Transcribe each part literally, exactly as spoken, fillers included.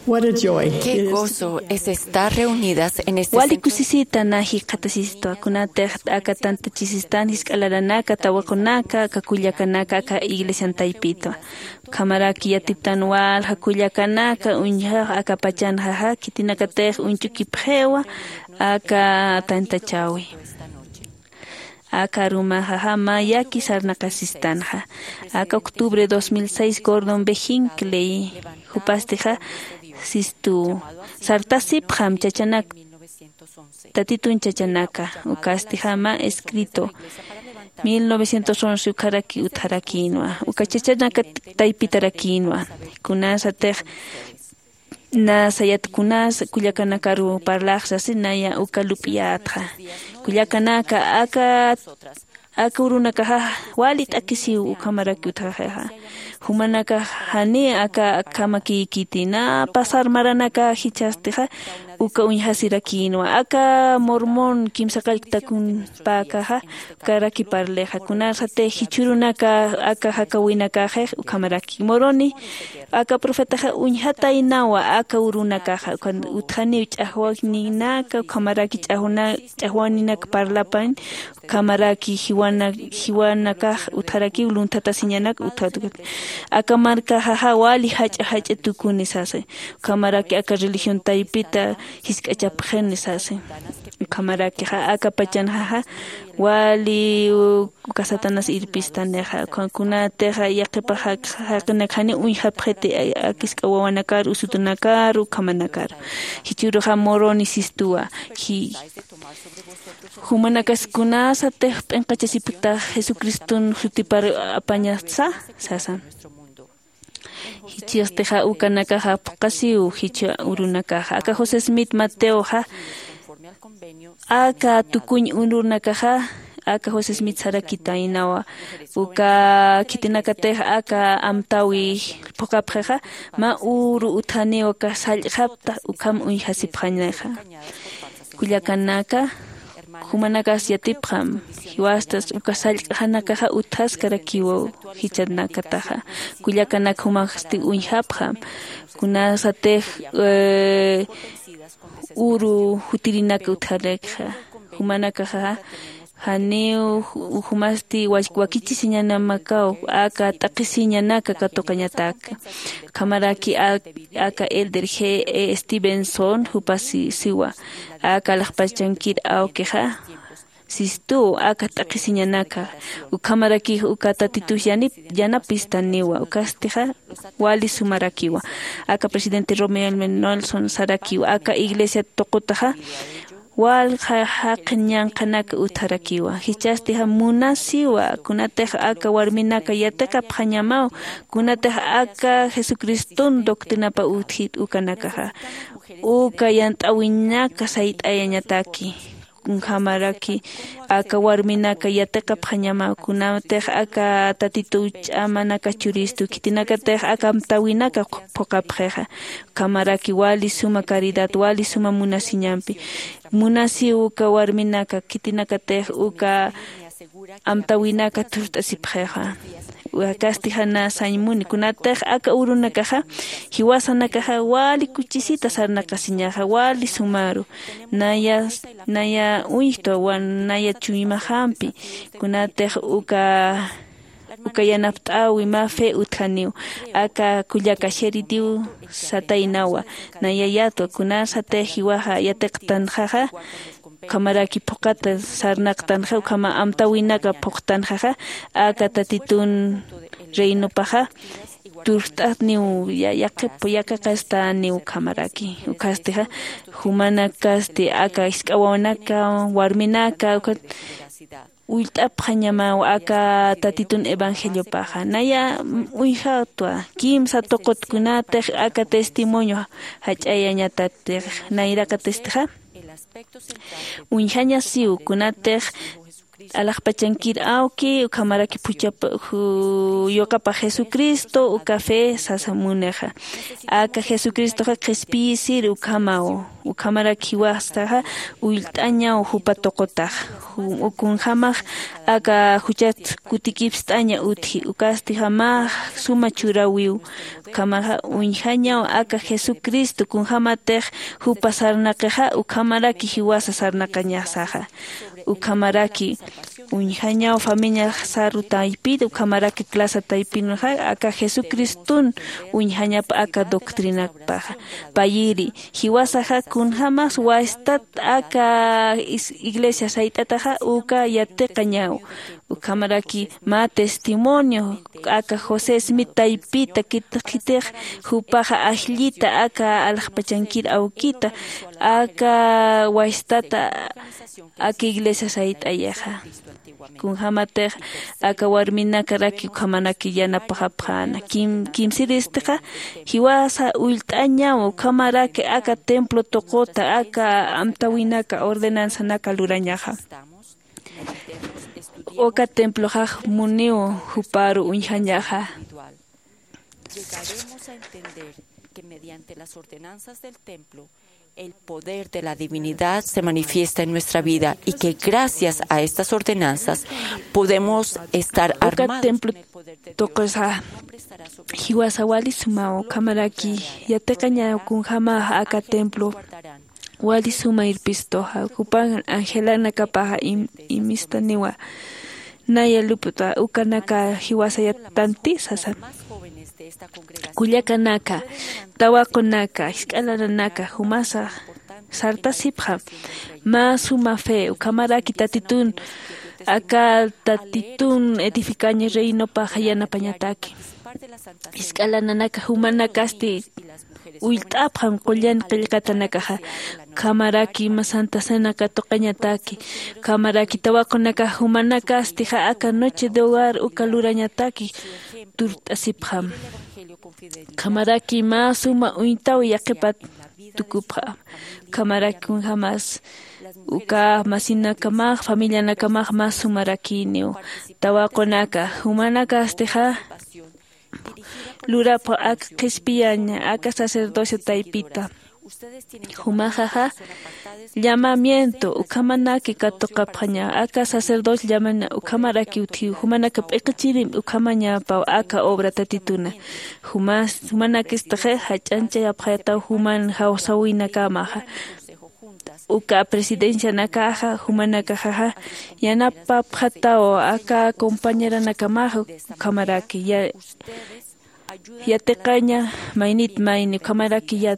What a joy. Qué gozo es estar reunidas en este wali centro. Kusisita na jikxatasistwa, kunatix aka tantachisistan jisk'a laranaka, tawaqunaka, aka kullakanaka aka iglesian taypitwa. Ukhamaraki yatiptan walja kullakanaka uñjax aka pachanxaxa, khitinakatix uñch'ukipxiwa aka tantachäwi. Aka arumaxaxa mä yaki sarnaqasistanxa. Aka octubre dos mil seis Gordon B. Hinckley jupastixa sistu sartasipxam chachanak, tatitun chachanaka, ukastixa mä escrito mil novecientos once ukharaki utjarakïnwa, uka chachanak taypitarakïnwa. Kunasatix na sayat kunas kullakanakaru parlaxsasi naya uka lup'iyätxa. Kullakanaka aka, aka urunakaxa wali t'akisiw ukhamaraki utjaxixa. Jumanakax jani aka akhamakïkiti, na pasar maranaka jichhastixa uka uñjasirakïnwa. Aka Mormon kimsa qallqtakunpäkaxa ukaraki parlixa. Kunasatix jichhürunaka aka jakäwinakaxix ukhamaraki Moroni, aka profetaxa uñjataynawa aka urunakaxa, ukan utjaniw ch'axwaninaka, ukhamaraki ch'axwana-, ch'axwaninak parlapañ, ukhamaraki jiwana-, jiwanakax utjarakiw lunthatasiñanak utjat. Aka markaxaxa wali jach'a jach'a tukuni sasa, ukhamaraki aka religión taypita jisk'achapxini sasa. Ukhamarakixa aka pachanxaxa wali uka Satanás irpistanixa, ukan kunatixa yaqipax jaq-, jaqinak jani uñjapxiti, a-, aka jisk'a wawanakar, usutunakar, ukhamanakar. Jichhüruxa Moroni sistuwa, ji-, jumanakas kunasatix p'inqachasipkta Jesucriston jutipar apañatsa, sasa. Jichhastixa ukanakaxa phuqasiw jichha urunakaxa. Aka José Smith Mateoxa, aka tukuñ urunakaxa, aka José Smith sarakitaynawa. Uka khitinakatix aka amtäwi phuqapxixa, mä uru utjaniw aka sallq'xapta, ukham uñjasipxañaxa. Kullakanaka, jumanakas yatipxam, jiwastas uka sallq'xanakaxa utjaskarakiwa jichhanakataxa. Kullakanak jumasti uñjapxam, kunasatix, eh, uru jutirinaka utjarakxa. Jumanakaxa, janiw ju-, jumasti wak-, wakichisiñanamakaw, aka t'aqhisiñanaka katuqañataka. Ukhamaraki a-, aka Elder G. E. Stevenson, jupa si-, siwa, aka alaxpachankir awkixa, sistu, aka t'aqhisiñanaka, ukhamaraki uka Tatitux yanip-, yanapistaniwa, ukastixa wali sumarakiwa. Aka presidente Romeo Elmer Nelson sarakiwa, aka iglesia tuqutaxa, walja jaqin ñanqhanaka utjarakiwa. Jichhastixa munasiwa, kunatix aka warminaka yatiqapxañamaw, kunatix aka Jesucriston doctrinapa utjit ukanakaxa. Uka yant'äwinaka sayt'ayañataki. Ukhamaraki aka warminaka yatiqapxañamaw, kunatix aka Tatitu ch'amanaka churistu, khitinakatix aka amtäwinaka phuqapxixa. Ukhamaraki wali suma caridad, wali suma munasiñampi. Munasiw uka warminaka, khitinakatix uka amtäwinaka thurt'asipxixa. Ukasti jana sañ muni, kunatix aka urunakaxa, jiwasanakaxa wali kuchisita sarnaqasiñaxa, wali sumaru. Naya, naya uñjtwa, wan naya chuymaxampi, kunatix uka uka yanapt'äwi mä fe utjaniw, aka kullaka Sheridiw sataynawa, naya yatwa, kunasatix jiwaxa yatiqtanxaxa, ukhamaraki phuqata sarnaqtanxa, ukhama amtäwinaka phuqtanxaxa, aka Tatitun reinopaxa, turt'atniw ya-, yaqip-, yaqaqastaniw ukhamaraki. Ukhastixa, jumanakasti aka jisk'a wawanaka, warminaka, ukat ullt'apxañamaw aka Tatitun evangeliopaxa. Naya uñjatwa, kimsa tuqutkunatix aka testimonio jach'ayañatatix, nayraqatistixa. Uñjañasiw, kunatix alaxpachankir awki, ukhamaraki phuchhap-, ju-, yuqapa Jesucristo, uka fe sasa munixa. Aka Jesucristoxa qhispiyisir ukhamaw. Ukhamaraki jiwastaxa ullt'añaw jupa tuqutax. Ju-, kunjamax aka juchat kutikipst'aña utji. Ukastixa mä suma churawiw. Ukhamaxa uñjañaw aka Jesucristo kunjämatix jupa sarnaqixa ukhamaraki jiwasa sarnaqañasaxa. Ukhamaraki uñjañaw familia saru taypir ukhamaraki clase taypinxa aka Jesucriston uñjañapa aka doctrinakpaxa. Payiri jiwasaxa kunjämas wastat aka is- iglesia sayt'ataxa uka yatiqañaw. Ukhamaraki mä testimonio aka José Smith taypita kitix jupaxa ajllita aka alaxpachankir awkita aka wastata aka iglesia sayt'ayaxa. Kunjämatix aka warminakaraki ukhamanaki yanapaxapxäna kimsiristixa jiwasa ullt'añaw ukhamaraki aka templo tuquta aka amtäwinaka ordenanzanaka lurañaxa. Uka temploxax muniw juparu uñjañaxa. Llegaremos a entender que mediante las ordenanzas del templo el poder de la divinidad se manifiesta en nuestra vida y que gracias a estas ordenanzas podemos estar armados con el poder de Dios. Uka templo tuqusa jiwasa wali sumaw ukhamaraki yatiqañaw kunjämaxa aka templo wali suma irpistuxa jupan angelanakapaxa im- imistaniwa. Naya lup'ta ukanaka jiwasa yatanti sasa. Kullakanaka, tawaqunaka, jisk'a laranaka jumasa sartasipxam. Mä suma fe ukhamaraki tatitun aka tatitun edificaña reinopaxa yanapañataki. Jisk'a laranaka jumanakasti ullt'apxam qullan qillqatanakaxa. Ukhamaraki mä santa cena katuqañataki. Ukhamaraki tawaqunakax jumanakastixa aka noche de hogar uka lurañataki turt'asipxam. Ukhamaraki mä suma uñtaw yaqhipat tukupxam. Ukhamaraki kunjämas uka masinakamax familianakamax mä sumarakiniw. Tawaqunaka jumanakastixa lurapxam aka qhispiyaña aka sacerdocio taypita. Jumaxaxa llamamiento ukhamanaki katuqapxaña aka sacerdocio llamana ukhamaraki utjiw jumanaka p'iqichirimpi ukhamañapaw aka obra tatituna. Jumas jumanakistixi jach'añchayapxayataw juman jawsäwinakamaxa. Uka presidencianakaxa jumanakaxaxa yanapapxataw aka compañeranakamaxa. Ukhamaraki ya- yatiqaña maynit mayni ukhamaraki ya-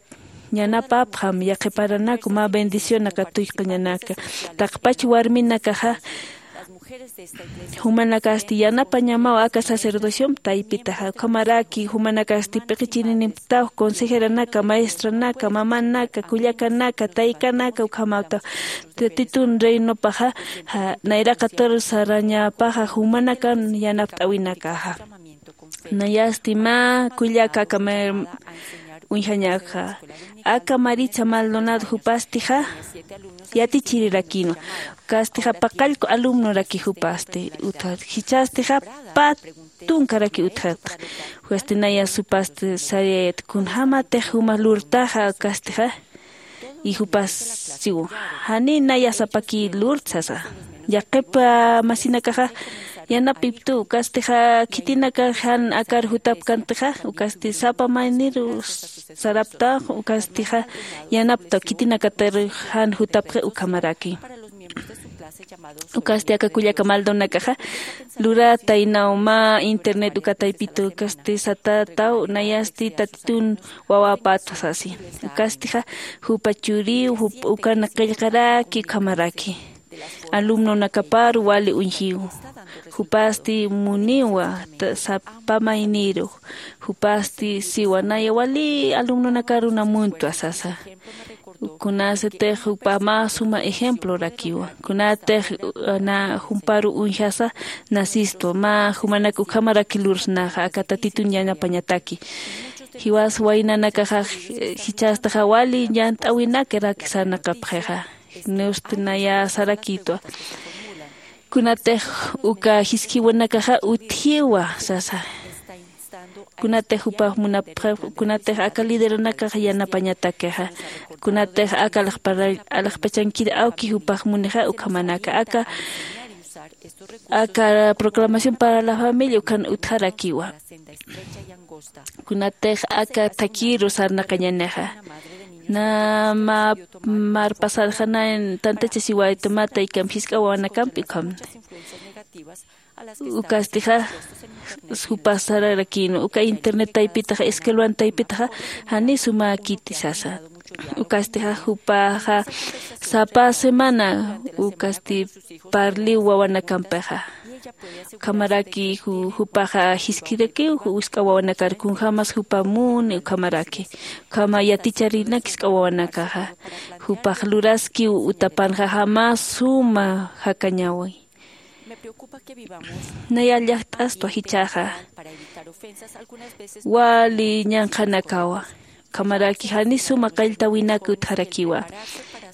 yanapapxam yaqhiparanaku mä bendicionaka tuyk'añanaka. Taqpach warminakaxa jumanakasti yanapañamaw aka sacerdociompi taypitaxa ukhamaraki jumanakasti p'iqichirinimptaw consejeranaka maestranaka mamanaka kullakanaka taykanaka ukhamawtaw. Tatitun reinopaxa nayraqatur sarañapaxa jumanakan yanapt'äwinakaxa. Nayasti mä kullaka aka uñjañakxa aka maritza maldonado jupastixa yatichirirakïnwa. Ukastixa paqallku alumnoraki jupasti utjat jichhastixa pä tunkaraki utjat. Ukasti naya supasti sariyayat kunjämatix juma lurtaxa ukastixa. Y jupas siw janiy naya sapakï lurt sasa. Yaqhip masinakaxa yanapiptu ukastixa khitinaka jan akar jutapkantixa ukasti sapa mayniru saraptax ukastixa yanaptaw khitinakatir jan jutapxi ukhamaraki. Ukasti aka kullaka maldonakaxa lurätaynaw mä internet uka taypitu ukasti satätaw nayasti tatitun wawäpatwa sasi. Ukastixa jupa churiw jup ukan qillqaraki ukhamaraki alumnonakapar wali uñjiw. Jupasti muniwa sapa mayniru jupasti siwa naya wali alumnonakar uñjamuntwa sasa. Kunasatix jupa mä suma ejemplorakiwa kunatix jumparu uñjasa nasistwa mä jumanak ukhamaraki lursnaxa aka tatitun yanapañataki. Jiwas waynanakaxa jichhastaxa wali llant'äwinakaraki sarnaqapxixa. Nusti naya sarakïtwa kunatix uka jisk'iwanakaxa utjiwa sasa. Kunatix jupax munapxi kunatix aka lideranakax yanapañatakixa kunatix aka alaxpachankir awki jupax munixa ukhamanaka aka Aka proclamación para la familia ukan utjarakiwa. Kunatix aka thakiru sarnaqañanixa, na mä marpasarxanayn tantachasiwayta mä taykamp jisk'a wawanakampi ukhamni. Ukastixa jupas sararakïnwa uka internet taypitaxa escuelan taypitaxa jani sumäkiti sasa. Ukastixa jupaxa sapa semana ukasti parliw wawanakampixa. Ukhamaraki jupaxa jiskirakiw jisk'a wawanakar kunjämas jupa muni ukhamaraki. Ukhama yaticharinak jisk'a wawanakaxa jupax luraskiw utapanxaxa mä suma jakañäwi. Naya llajt'astwa jichhaxa wali ñanqhanakawa. Ukhamaraki jani suma qalltäwinak utjarakiwa.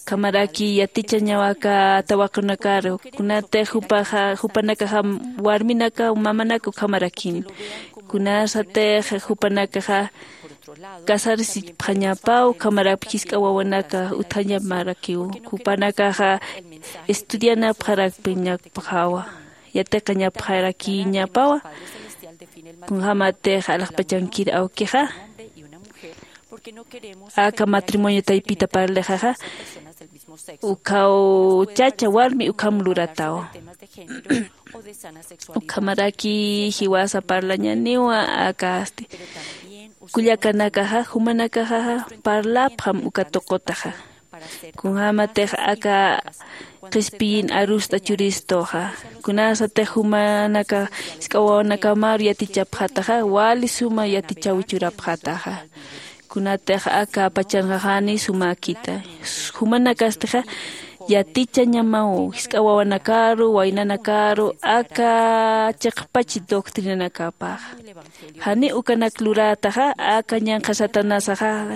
Ukhamaraki yatichañawaka tawaqunakaru kunatix jupaxa jupanakaxa warminaka mamanaka ukhamarakin. Kunasatix jupanakaxa casarsichpxañapaw ukhamaraki jisk'a wawanaka utjañamarakiw. Jupanakaxa estudianapxarakpiñapxawa, yatiqañapxarakiñapawa. Kunjämatix alaxpachankir awkixa aka matrimonio taypita parlixaxa ukhaw chacha warmi ukham luratawa. Ukhamaraki jiwasa parlañaniwa akasti kullakanakaxa jumanakaxaxa parlapxam uka tuqutaxa. Kunjämatix aka qhispiyin arust'a churistuxa kunasatix jumanaka jisk'a wawanakamaru yatichapxataxa wali suma yatichaw churapxataxa. Kunatix aka pachanxa jani sumäkita jumanakastixa yatichañamaw jisk'a wawanakaru waynanakaru aka chiqpach doctrinanakapaxa. Jani ukanak lurätaxa aka ñanqha satanasaxa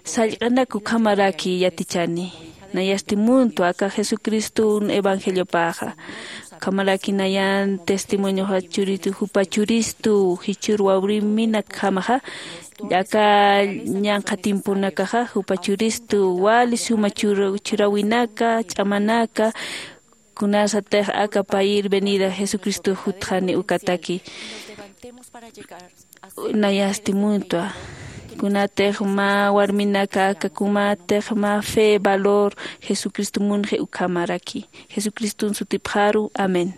sallq'anak ukhamaraki yatichani. Nayasti muntwa aka jesucristun evangeliopaxa. Ukhamaraki nayan testimonioxa churitu jupa churistu jichhür wawriminakjamaxa aka ñanqha tiemponakaxa jupa churistu wali suma churawinaka ch'amanaka. Kunasatix aka payir venida jesucristo jutxani ukataki. Nayasti muntwa kunatix mä warminaka aka kumatix mä fe valor jesucristo munxi ukhamaraki jesucriston sutipxaru. Amén.